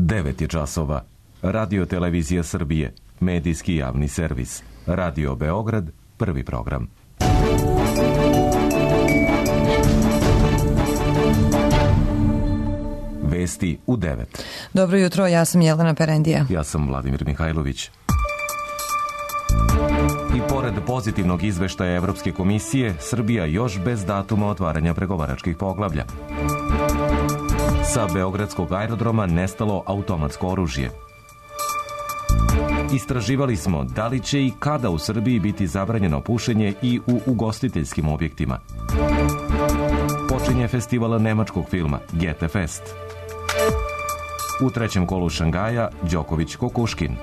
9 je časova. Radio Televizija Srbije, medijski javni servis. Radio Beograd, prvi program. Vesti u 9. Dobro jutro, ja sam Jelena Perendija. Ja sam Vladimir Mihajlović. I pored pozitivnog izveštaja Evropske komisije, Srbija još bez datuma otvaranja pregovaračkih poglavlja. Sa beogradskog aerodroma nestalo automatsko oružje. Istraživali smo da li će i kada u Srbiji biti zabranjeno pušenje i u ugostiteljskim objektima. Počinje festival nemačkog filma Goethe Fest. U trećem kolu Šangaja Đoković Kokuškin.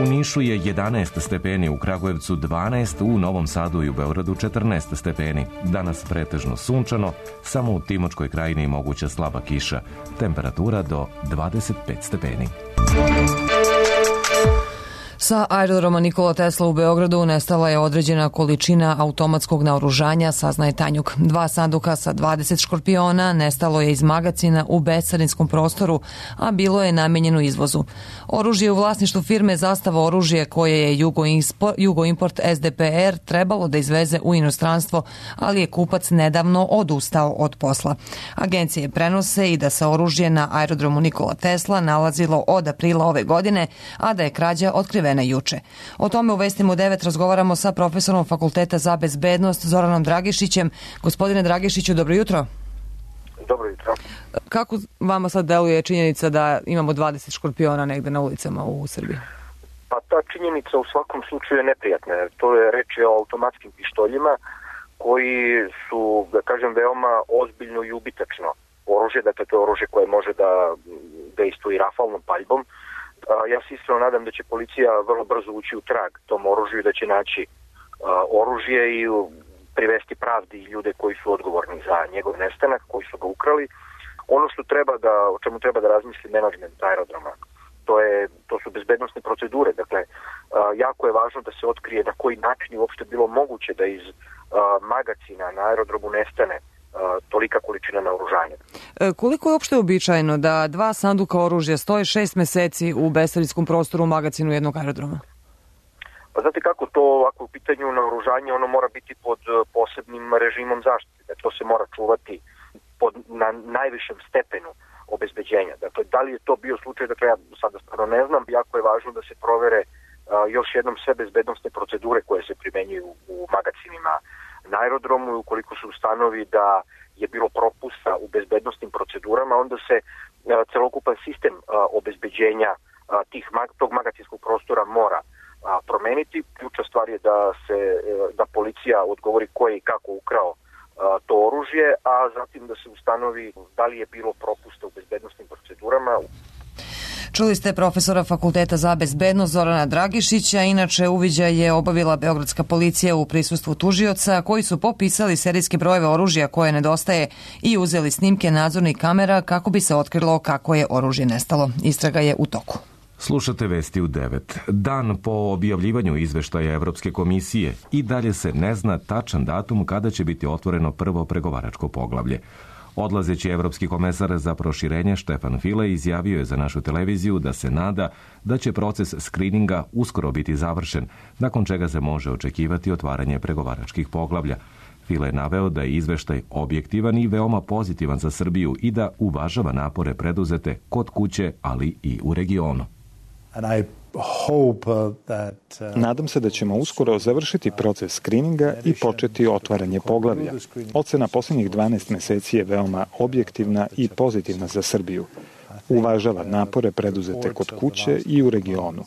U Nišu je 11 stepeni, u Kragujevcu 12, u Novom Sadu i u Beogradu 14 stepeni. Danas pretežno sunčano, samo u Timočkoj krajini moguća slaba kiša. Temperatura do 25 stepeni. Sa aerodroma Nikola Tesla u Beogradu nestala je određena količina automatskog naoružanja, saznaje Tanjug. 2 sanduka sa 20 škorpiona nestalo je iz magacina u bescarinskom prostoru, a bilo je namenjeno izvozu. Oružje u vlasništvu firme Zastava oružje, koje je Jugoimport SDPR trebalo da izveze u inostranstvo, ali je kupac nedavno odustao od posla. Agencije prenose i da se oružje na aerodromu Nikola Tesla nalazilo od aprila ove godine, a da je krađa otkrivena juče. O tome u Vestima u 9 razgovaramo sa profesorom Fakulteta za bezbednost Zoranom Dragišićem. Gospodine Dragišiću, dobro jutro. Dobro jutro. Kako vama sad deluje činjenica da imamo 20 škorpiona negde na ulicama u Srbiji? Pa ta činjenica u svakom slučaju je neprijatna. To je reč o automatskim pištoljima koji su, da kažem, veoma ozbiljno i ubitačno oružje. Dakle, to je oružje koje može da dejstvuje rafalnom paljbom. Ja se iskreno nadam da će policija vrlo brzo ući u trag tom oružju i da će naći oružje i privesti pravdi ljude koji su odgovorni za njegov nestanak, koji su ga ukrali. Ono što o čemu treba da razmisli menadžment aerodroma, to su bezbednosne procedure. Dakle, jako je važno da se otkrije na koji način je uopšte bilo moguće da iz magacina na aerodromu nestane tolika količina naoružanja. Koliko je uopšte uobičajeno da 2 sanduka oružja stoje 6 meseci u bescarinskom prostoru u magacinu jednog aerodroma? Pa znate kako, to ako u pitanju naoružanje, ono mora biti pod posebnim režimom zaštite. To se mora čuvati na najvišem stepenu obezbeđenja. Dakle, da li je to bio slučaj, dakle ja sada stvarno ne znam, jako je važno da se provere još jednom sve bezbednosne procedure koje se primenjuju u magacinima na aerodromu i ukoliko se ustanovi da je bilo propusta u bezbednosnim procedurama, onda se celokupan sistem obezbeđenja tog magacinskog prostora mora promeniti. Ključna stvar je da policija odgovori ko je i kako ukrao to oružje, a zatim da se ustanovi da li je bilo propusta u bezbednosnim procedurama. Čuli ste profesora Fakulteta za bezbednost Zorana Dragišića. Inače, uviđaj je obavila beogradska policija u prisustvu tužioca koji su popisali serijske brojeve oružja koje nedostaje i uzeli snimke nadzornih kamera kako bi se otkrilo kako je oružje nestalo. Istraga je u toku. Slušate Vesti u 9. Dan po objavljivanju izveštaja Evropske komisije i dalje se ne zna tačan datum kada će biti otvoreno prvo pregovaračko poglavlje. Odlazeći evropski komesar za proširenje Štefan File izjavio je za našu televiziju da se nada da će proces skrininga uskoro biti završen, nakon čega se može očekivati otvaranje pregovaračkih poglavlja. File je naveo da je izveštaj objektivan i veoma pozitivan za Srbiju i da uvažava napore preduzete kod kuće, ali i u regionu. Nadam se da ćemo uskoro završiti proces skrininga i početi otvaranje poglavlja. Ocena posljednjih 12 meseci je veoma objektivna i pozitivna za Srbiju. Uvažava napore preduzete kod kuće i u regionu.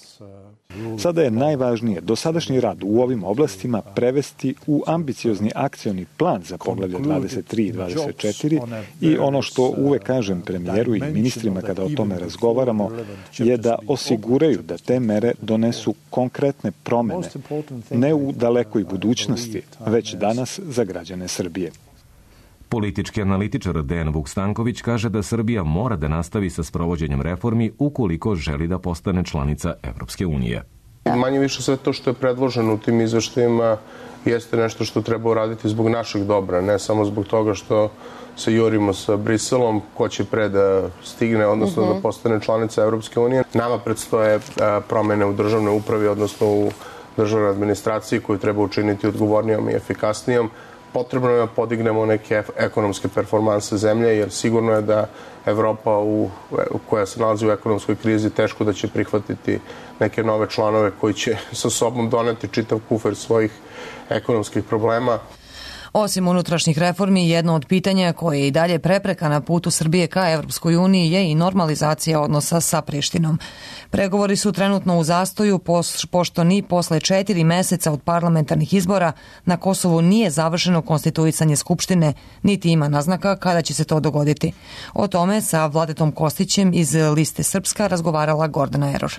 Sada je najvažnije dosadašnji rad u ovim oblastima prevesti u ambiciozni akcioni plan za poglavlje 23 i 24 i ono što uvek kažem premijeru i ministrima kada o tome razgovaramo je da osiguraju da te mere donesu konkretne promene, ne u dalekoj budućnosti, već danas za građane Srbije. Politički analitičar Dejan Vukstanković kaže da Srbija mora da nastavi sa sprovođenjem reformi ukoliko želi da postane članica Evropske unije. Manje više sve to što je predloženo u tim izveštajima jeste nešto što treba uraditi zbog našeg dobra, ne samo zbog toga što se jurimo sa Briselom, ko će pre da stigne, odnosno da postane članica Evropske unije. Nama predstoje promene u državnoj upravi, odnosno u državnoj administraciji koju treba učiniti odgovornijom i efikasnijom. Potrebno je da podignemo neke ekonomske performanse zemlje, jer sigurno je da Evropa koja se nalazi u ekonomskoj krizi teško da će prihvatiti neke nove članove koji će sa sobom doneti čitav kufer svojih ekonomskih problema. Osim unutrašnjih reformi, jedno od pitanja koje je i dalje prepreka na putu Srbije ka Evropskoj uniji je i normalizacija odnosa sa Prištinom. Pregovori su trenutno u zastoju, pošto ni posle 4 meseca od parlamentarnih izbora na Kosovu nije završeno konstituisanje Skupštine, niti ima naznaka kada će se to dogoditi. O tome sa Vladetom Kostićem iz Liste Srpska razgovarala Gordana Eror.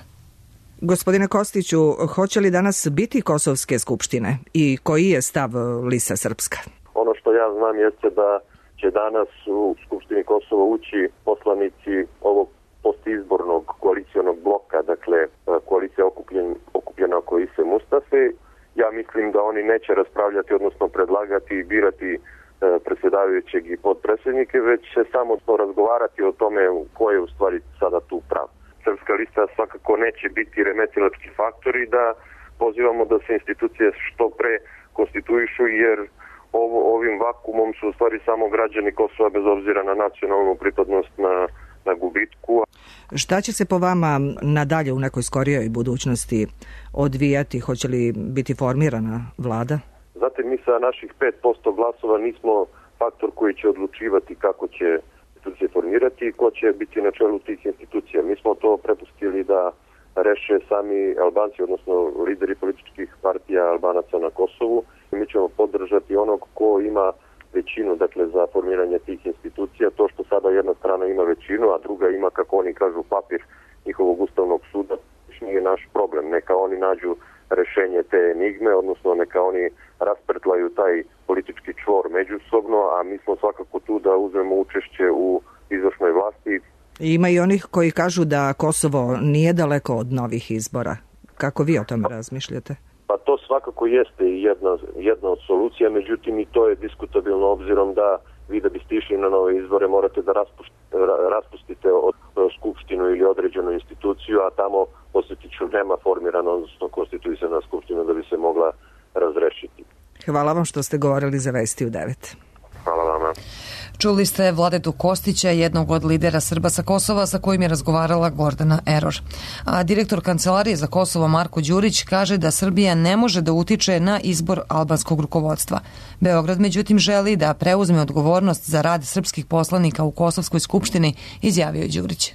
Gospodine Kostiću, hoće li danas biti Kosovske skupštine i koji je stav Lista Srpska? Ono što ja znam jeste da će danas u Skupštini Kosova ući poslanici ovog postizbornog koalicijonog bloka, dakle koalicija okupljena oko Ise Mustafe. Ja mislim da oni neće raspravljati, odnosno predlagati i birati predsjedavajućeg i podpredsjednike, već će samo razgovarati o tome ko je u stvari sada tu prav. Srpska lista svakako neće biti remetilački faktor i da pozivamo da se institucije što pre konstituišu, jer ovim vakumom su u stvari samo građani Kosova bez obzira na nacionalnu pripadnost na gubitku. Šta će se po vama nadalje u nekoj skorijoj budućnosti odvijati? Hoće li biti formirana vlada? Znate, mi sa naših 5% glasova nismo faktor koji će odlučivati kako će institucije formirati i ko će biti na čelu tih institucija. Mi smo to prepustili da reše sami Albanci, odnosno lideri političkih partija Albanaca na Kosovu. Mi ćemo podržati onog ko ima većinu, dakle, za formiranje tih institucija. To što sada jedna strana ima većinu, a druga ima, kako oni kažu, papir njihovog ustavnog suda, nije naš problem. Neka oni nađu rešenje te enigme, odnosno neka oni raspetlaju taj politički čvor međusobno, a mi smo svakako tu da uzmemo učešće u izvršnoj vlasti. Ima i onih koji kažu da Kosovo nije daleko od novih izbora. Kako vi o tome razmišljate? Pa to svakako jeste jedna od solucija, međutim i to je diskutabilno obzirom da vi da biste išli na nove izbore morate da raspustite skupštinu ili određenu instituciju, a tamo, posjetit ću, nema formirano, odnosno konstituisana skupština da bi se mogla razrešiti. Hvala vam što ste govorili za Vesti u 9. Hvala vama. Čuli ste Vladetu Kostića, jednog od lidera Srba sa Kosova, sa kojim je razgovarala Gordana Eror. A direktor Kancelarije za Kosovo Marko Đurić kaže da Srbija ne može da utiče na izbor albanskog rukovodstva. Beograd, međutim, želi da preuzme odgovornost za rad srpskih poslanika u Kosovskoj skupštini, izjavio je Đurić.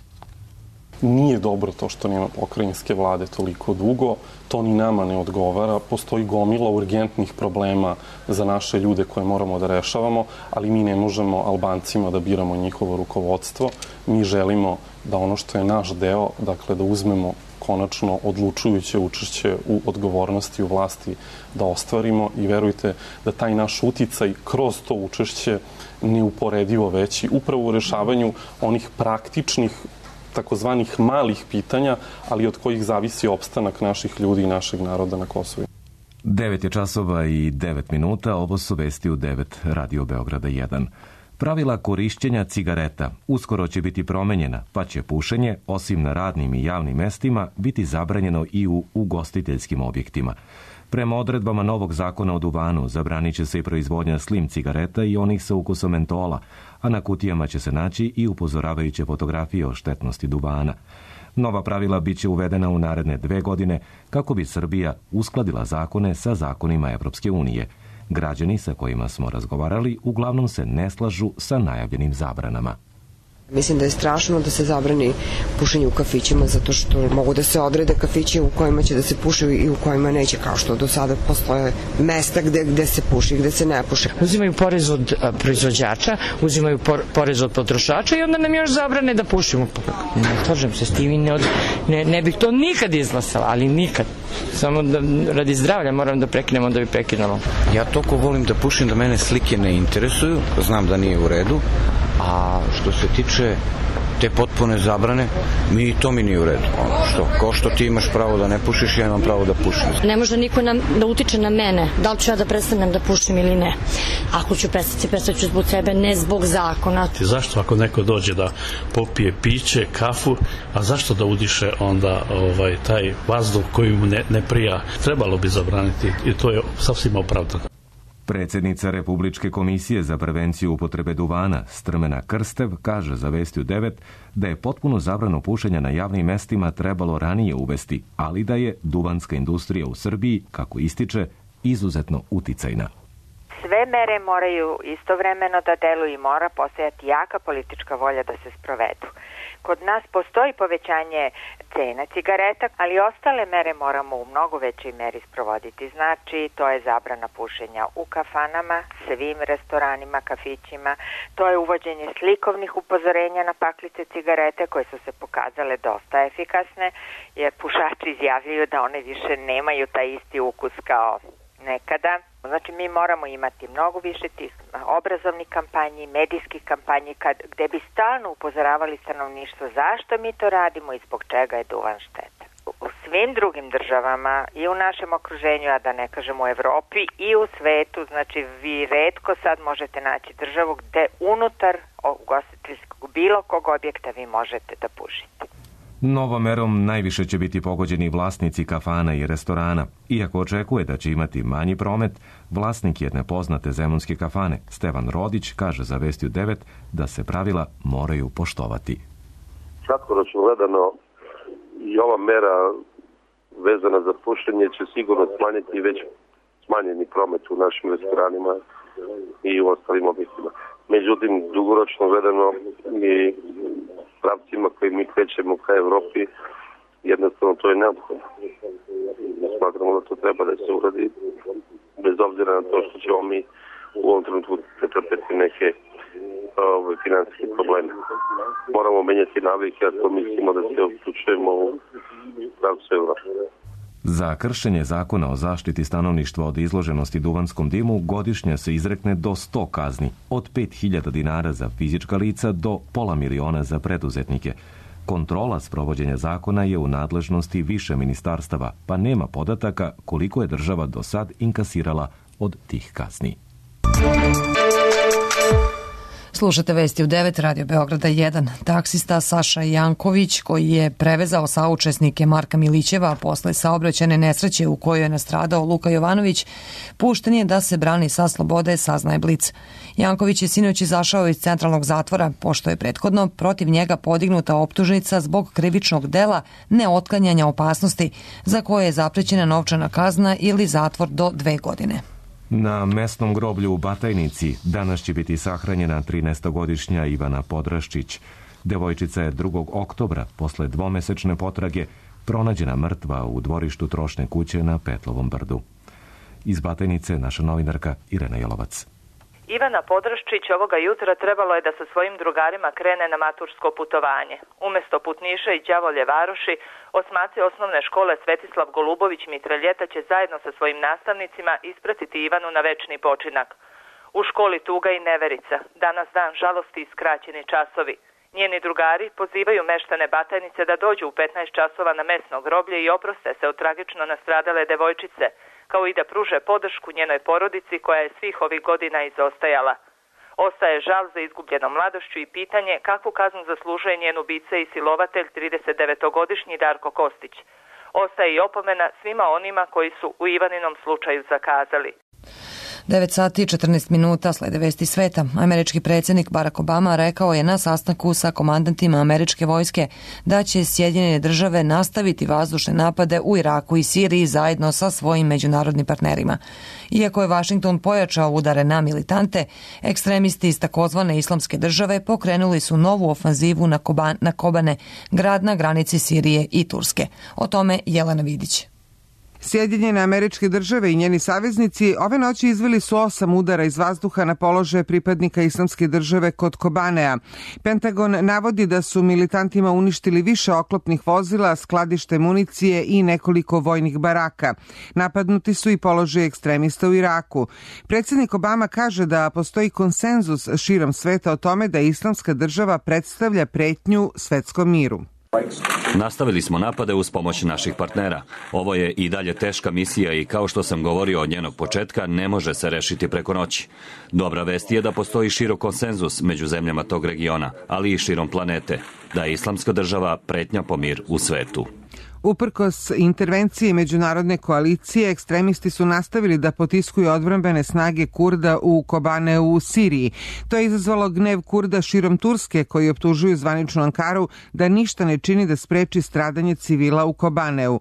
Nije dobro to što nema pokrajinske vlade toliko dugo, to ni nama ne odgovara, postoji gomila urgentnih problema za naše ljude koje moramo da rešavamo, ali mi ne možemo Albancima da biramo njihovo rukovodstvo. Mi želimo da ono što je naš deo, dakle da uzmemo konačno odlučujuće učešće u odgovornosti u vlasti da ostvarimo i verujte da taj naš uticaj kroz to učešće neuporedivo veći upravo u rešavanju onih praktičnih takozvanih malih pitanja, ali od kojih zavisi opstanak naših ljudi i našeg naroda na Kosovu. 9 je časova i 9 minuta, ovo su Vesti u 9, Radio Beograda 1. Pravila korišćenja cigareta uskoro će biti promenjena, pa će pušenje, osim na radnim i javnim mestima, biti zabranjeno i u ugostiteljskim objektima. Prema odredbama novog zakona o duvanu zabranit će se i proizvodnja slim cigareta i onih sa ukusom mentola, a na kutijama će se naći i upozoravajuće fotografije o štetnosti duvana. Nova pravila bit će uvedena u naredne 2 godine kako bi Srbija uskladila zakone sa zakonima Evropske unije. Građani sa kojima smo razgovarali uglavnom se ne slažu sa najavljenim zabranama. Mislim da je strašno da se zabrani pušenje u kafićima zato što mogu da se odrede kafići u kojima će da se puši i u kojima neće, kao što do sada postoje mesta gde se puši i gde se ne puši. Uzimaju porez od proizvođača, uzimaju porez od potrošača i onda nam još zabrane da pušimo. Ne slažem se s tim i ne bih to nikad izglasala, ali nikad. Samo da radi zdravlja moram da prekinemo da bi prekinalo. Ja toliko volim da pušim da mene slike ne interesuju, znam da nije u redu, a što se tiče te potpune zabrane, to mi nije u redu. Ko što ti imaš pravo da ne pušiš, ja imam pravo da pušim. Ne može niko da utiče na mene, da li ću ja da prestanem da pušim ili ne. Ako ću prestati, prestaću zbog sebe, ne zbog zakona. Zašto ako neko dođe da popije piće, kafu, a zašto da udiše onda taj vazduh koji mu ne prija? Trebalo bi zabraniti i to je sasvim opravdano. Predsjednica Republičke komisije za prevenciju upotrebe duvana Strmena Krstev kaže za Vesti u 9 da je potpuno zabranu pušenja na javnim mestima trebalo ranije uvesti, ali da je duvanska industrija u Srbiji, kako ističe, izuzetno uticajna. Sve mere moraju istovremeno da deluju i mora postojati jaka politička volja da se sprovedu. Kod nas postoji povećanje cena cigareta, ali ostale mere moramo u mnogo većoj meri sprovoditi. Znači, to je zabrana pušenja u kafanama, svim restoranima, kafićima, to je uvođenje slikovnih upozorenja na paklice cigarete koje su se pokazale dosta efikasne, jer pušači izjavljuju da one više nemaju taj isti ukus kao nekada. Znači, mi moramo imati mnogo više tih obrazovnih kampanji, medijskih kampanji, gde bi stalno upozoravali stanovništvo zašto mi to radimo i zbog čega je duvan šteta. U svim drugim državama i u našem okruženju, a da ne kažem u Evropi i u svetu, znači vi retko sad možete naći državu gde unutar ugostiteljskog bilo kog objekta vi možete da pušite. Novom merom najviše će biti pogođeni vlasnici kafana i restorana. Iako očekuje da će imati manji promet, vlasnik jedne poznate zemunske kafane, Stevan Rodić, kaže za Vesti u 9 da se pravila moraju poštovati. Kratkoročno gledano i ova mera vezana za pušenje će sigurno smanjiti već smanjeni promet u našim restoranima i u ostalim objektima. Međutim, dugoročno gledano i pravcima koji mi krećemo ka Evropi, jednostavno to je neophodno. Smatramo da to treba da se uradi, bez obzira na to što ćemo mi u ovom trenutku pretrpeti neke finansijske probleme. Moramo menjati navike, a to mislimo da se uključujemo u pravcu Evrope. Za kršenje zakona o zaštiti stanovništva od izloženosti duvanskom dimu godišnje se izrekne do 100 kazni, od 5.000 dinara za fizička lica do $500.000 za preduzetnike. Kontrola sprovođenja zakona je u nadležnosti više ministarstava, pa nema podataka koliko je država do sad inkasirala od tih kazni. Slušate Vesti u 9, Radio Beograda 1. Taksista Saša Janković, koji je prevezao saučesnike Marka Milićeva posle saobraćajne nesreće u kojoj je nastradao Luka Jovanović, pušten je da se brani sa slobode, saznaje Blic. Janković je sinoć izašao iz centralnog zatvora, pošto je prethodno protiv njega podignuta optužnica zbog krivičnog dela neotklanjanja opasnosti, za koje je zaprećena novčana kazna ili zatvor do 2 godine. Na mesnom groblju u Batajnici danas će biti sahranjena 13-godišnja Ivana Podraščić. Devojčica je 2. oktobra, posle 2-mesečne potrage, pronađena mrtva u dvorištu trošne kuće na Petlovom brdu. Iz Batajnice naša novinarka Irena Jelovac. Ivana Podraščić ovoga jutra trebalo je da sa svojim drugarima krene na matursko putovanje. Umesto Putniša i Đavolje Varoši, osmaci osnovne škole Svetislav Golubović Mitraljeta će zajedno sa svojim nastavnicima ispratiti Ivanu na večni počinak. U školi tuga i neverica, danas dan žalosti i skraćeni časovi. Njeni drugari pozivaju meštane Batajnice da dođu u 15 časova na mesno groblje i oproste se od tragično nastradale devojčice, kao i da pruže podršku njenoj porodici koja je svih ovih godina izostajala. Ostaje žal za izgubljenom mladošću i pitanje kakvu kaznu zaslužuje njen ubica i silovatelj 39-godišnji Darko Kostić. Ostaje i opomena svima onima koji su u Ivaninom slučaju zakazali. 9 sati i 14 minuta slede Vesti sveta. Američki predsjednik Barack Obama rekao je na sastanku sa komandantima američke vojske da će Sjedinjene države nastaviti vazdušne napade u Iraku i Siriji zajedno sa svojim međunarodnim partnerima. Iako je Washington pojačao udare na militante, ekstremisti iz takozvane islamske države pokrenuli su novu ofanzivu na Kobane, grad na granici Sirije i Turske. O tome Jelena Vidić. Sjedinjene Američke Države i njeni saveznici ove noći izveli su 8 udara iz vazduha na položaje pripadnika Islamske države kod Kobanea. Pentagon navodi da su militantima uništili više oklopnih vozila, skladište municije i nekoliko vojnih baraka. Napadnuti su i položaje ekstremista u Iraku. Predsjednik Obama kaže da postoji konsenzus širom sveta o tome da Islamska država predstavlja pretnju svetskom miru. Nastavili smo napade uz pomoć naših partnera. Ovo je i dalje teška misija i kao što sam govorio od njenog početka, ne može se rešiti preko noći. Dobra vest je da postoji širok konsenzus među zemljama tog regiona, ali i širom planete, da je Islamska država pretnja po mir u svetu. Uprkos intervencije međunarodne koalicije, ekstremisti su nastavili da potiskuju odbrambene snage Kurda u Kobaneu u Siriji. To je izazvalo gnev Kurda širom Turske, koji optužuju zvaničnu Ankaru da ništa ne čini da spreči stradanje civila u Kobaneu.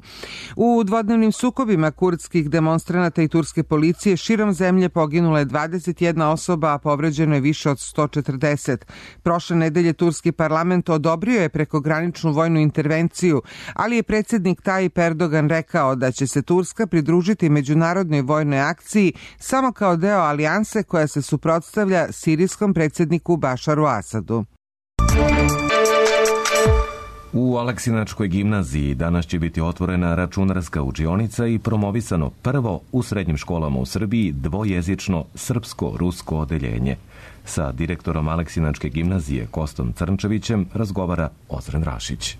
U dvodnevnim sukobima kurdskih demonstranata i turske policije širom zemlje poginula je 21 osoba, a povređeno je više od 140. Prošle nedelje turski parlament odobrio je prekograničnu vojnu intervenciju, ali je predsjednik Tayyip Erdogan rekao da će se Turska pridružiti međunarodnoj vojnoj akciji samo kao deo alijanse koja se suprotstavlja sirijskom predsjedniku Bašaru Asadu. U Aleksinačkoj gimnaziji danas će biti otvorena računarska učionica i promovisano prvo u srednjim školama u Srbiji dvojezično srpsko-rusko odeljenje. Sa direktorom Aleksinačke gimnazije Kostom Crnčevićem razgovara Ozren Rašić.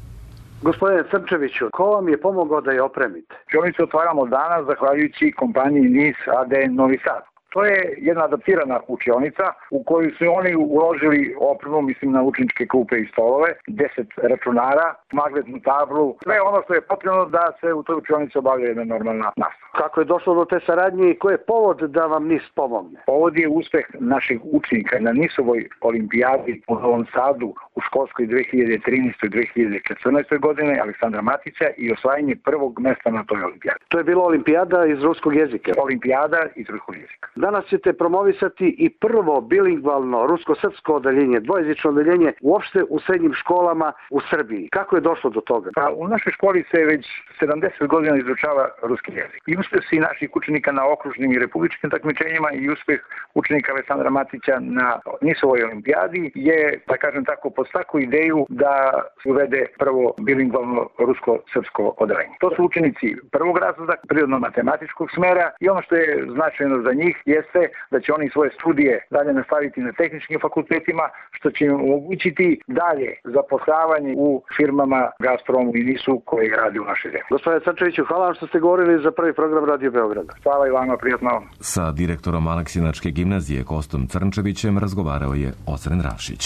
Gospodine Crnčeviću, ko vam je pomogao da je opremite? Učionicu otvaramo danas zahvaljujući kompaniji NIS AD Novi Sad. To je jedna adaptirana učionica u koju su oni uložili opremu, mislim na učeničke klupe i stolove, 10 računara, magnetnu tablu, sve ono što je potrebno da se u toj učionici obavlja jedna normalna nastava. Kako je došlo do te saradnje i koji je povod da vam NIS pomogne? Povod je uspeh naših učenika na NIS-ovoj olimpijadi u Novom Sadu u školskoj 2013. i 2014. godine Aleksandra Matića i osvajanje prvog mesta na toj olimpijadi. To je bila olimpijada iz ruskog jezika? Olimpijada iz ruskog jezika. Danas ćete promovisati i prvo bilingvalno rusko-srpsko odeljenje, dvojezično odeljenje uopšte u srednjim školama u Srbiji. Kako je došlo do toga? Pa, u našoj školi se već 70 godina izučava ruski jezik. I uspeh naših učenika na okružnim i republičkim takmičenjima i uspeh učenika Aleksandra Matića na NIS-ovoj olimpijadi je, da kažem tako, podstakao ideju da se uvede prvo bilingvalno rusko-srpsko odeljenje. To su učenici prvog razreda prirodno-matematičkog smera i ono što je značajno za njih jeste da će oni svoje studije dalje nastaviti na tehničkim fakultetima, što će im omogućiti dalje zapošljavanje u firmama Gazpromu i NIS-u koji radi u našoj zemlji. Gospodine Crnčeviću, hvala vam što ste govorili za prvi program Radio Beograda. Hvala i vama, prijatno. Sa direktorom Aleksinačke gimnazije Kostom Crnčevićem razgovarao je Ozren Rašić.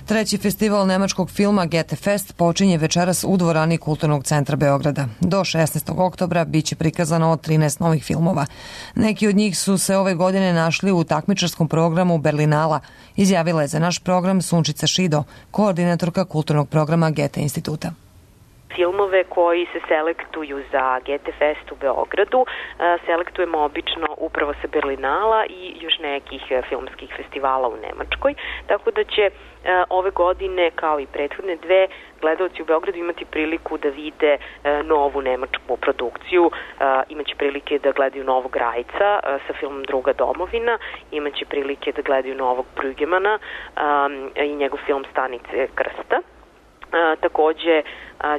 Treći festival nemačkog filma Goethe Fest počinje večeras u dvorani Kulturnog centra Beograda. Do 16. oktobra biće prikazano 13 novih filmova. Neki od njih su se ove godine našli u takmičarskom programu Berlinala, izjavila je za naš program Sunčica Šido, koordinatorka kulturnog programa Goethe instituta. Filmove koji se selektuju za Goethe Fest u Beogradu selektujemo obično upravo sa Berlinala i još nekih filmskih festivala u Nemačkoj, tako da će ove godine, kao i prethodne dve, gledaoci u Beogradu imati priliku da vide novu nemačku produkciju, imaće prilike da gledaju Novog Rajca sa filmom Druga domovina, imaće prilike da gledaju Novog Brügemana i njegov film Stanice krsta. Takođe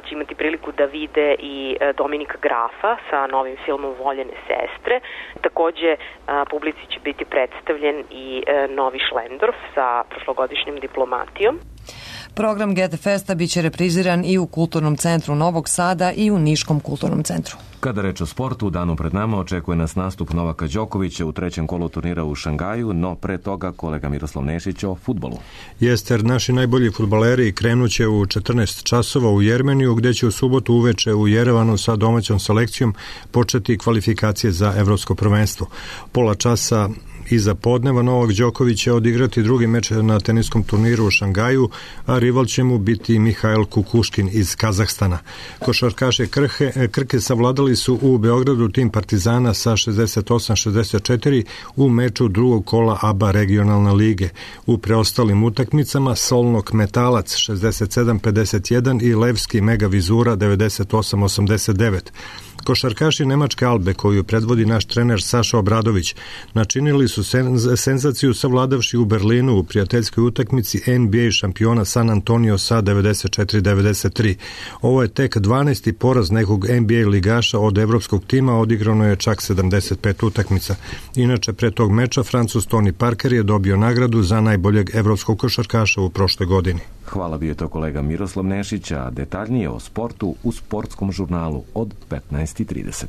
će imati priliku da vide i Dominika Grafa sa novim filmom Voljene sestre. Takođe publici će biti predstavljen i novi Šlendorf sa prošlogodišnjim Diplomatijom. Program Goethe Festa biće repriziran i u Kulturnom centru Novog Sada i u Niškom kulturnom centru. Kada reč o sportu, u danu pred nama očekuje nas nastup Novaka Đokovića u trećem kolu turnira u Šangaju, no pre toga kolega Miroslav Nešić o fudbalu. Jeste, jer naši najbolji fudbaleri krenuće u 14 časova u Jermeniju, gde će u subotu uveče u Jerevanu sa domaćom selekcijom početi kvalifikacije za evropsko prvenstvo. Pola časa iza podneva Novak Đoković će odigrati drugi meč na teniskom turniru u Šangaju, a rival će mu biti Mihail Kukuškin iz Kazahstana. Košarkaše Krke savladali su u Beogradu tim Partizana sa 68-64 u meču drugog kola ABA regionalne lige. U preostalim utakmicama Solnok Metalac 67-51 i Levski Mega Vizura 98-89. Košarkaši Nemačke Albe, koju predvodi naš trener Saša Obradović, načinili su senzaciju savladavši u Berlinu u prijateljskoj utakmici NBA šampiona San Antonio sa 94-93. Ovo je tek 12. poraz nekog NBA ligaša od evropskog tima, odigrano je čak 75 utakmica. Inače, pre tog meča Francuz Tony Parker je dobio nagradu za najboljeg evropskog košarkaša u prošloj godini. Hvala, bio je to kolega Miroslav Nešić, a detaljnije o sportu u sportskom žurnalu od 15:30.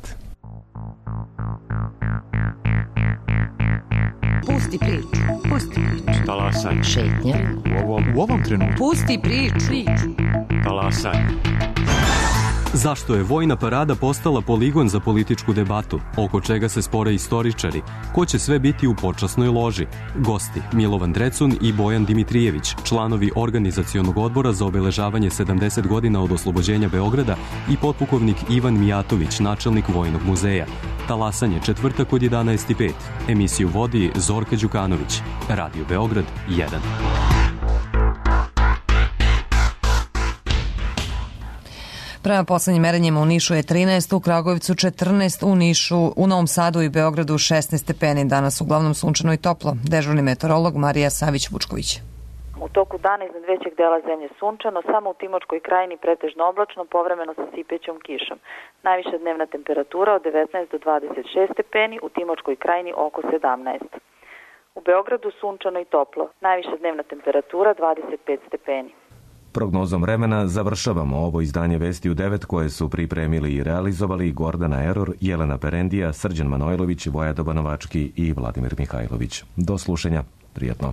Pusti priču, pusti priču. Talasaj. Šetnja. U ovom trenutku. Pusti priču. Talasaj. Zašto je vojna parada postala poligon za političku debatu? Oko čega se spore istoričari? Ko će sve biti u počasnoj loži? Gosti Milovan Drecun i Bojan Dimitrijević, članovi organizacionog odbora za obeležavanje 70 godina od oslobođenja Beograda i potpukovnik Ivan Mijatović, načelnik Vojnog muzeja. Talasanje, četvrtak od 11:05. Emisiju vodi Zorka Đukanović. Radio Beograd 1. Prema poslednjim merenjima u Nišu je 13, u Kragujevcu 14, u Nišu, u Novom Sadu i Beogradu 16 stepeni. Danas uglavnom sunčano i toplo. Dežurni meteorolog Marija Savić-Vučković. U toku dana iznad većeg dela zemlje sunčano, samo u Timočkoj krajini pretežno oblačno, povremeno sa sipećom kišom. Najviša dnevna temperatura od 19 do 26 stepeni, u Timočkoj krajini oko 17. U Beogradu sunčano i toplo, najviša dnevna temperatura 25 stepeni. Prognozom vremena završavamo ovo izdanje Vesti u 9 koje su pripremili i realizovali Gordana Eror, Jelena Perendija, Srđan Manojlović, Vojada Banovački i Vladimir Mihajlović. Do slušanja. Prijatno.